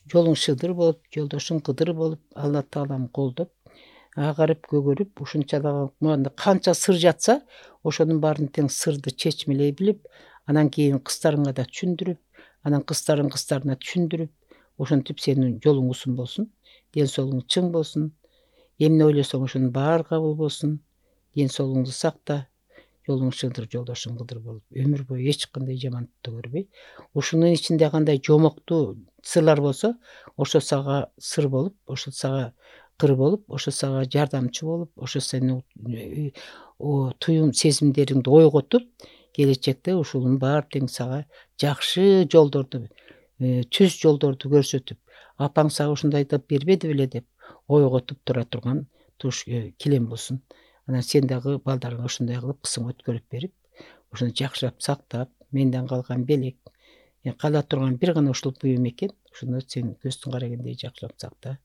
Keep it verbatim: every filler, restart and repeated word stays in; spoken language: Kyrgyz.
жолуң шыдыр болуп, жолдошуң кыдыр болуп, Алла таалам колдоп, агарып көгөрүп, ушунча дагы мында канча сыр жатса, ошонун баарын тең сырды чечмелей билип, анан кийин кыздарыңа да түшүндүрүп, анан кыздарың кыздарына түшүндүрүп, ошентип сенин жолуң узун болсун, ден соолугуң чың болсун, эмне ойлосоң ошонун баары кабыл болсун, ден соолугуңду сакта, жолуң шыдыр, жолдошуң кыдыр болуп, өмүр бою эч кандай жамандыкты көрбөй, ушунун ичинде кандай жомоктуу сырлар болсо, ошо сага сыр болуп, ошо сага кыр болуп, ошо сага жардамчы болуп, ошо сени туюм сезимдериңди ойготуп, келечекте ушунун баары тең сага жакшы жолдорду, түз жолдорду көрсөтүп, апаң сага ушундайды бербеди беле деп ойготуп тура турган туш килем болсун. Анан сен дагы балдарыңа ушундай кылып кысың өткөрүп берип, ошону жакшылап сактап, менден калган белек, кала турган бир гана ушул буюм экен, ушуну сен көздүн карагендей жакшылап сакта.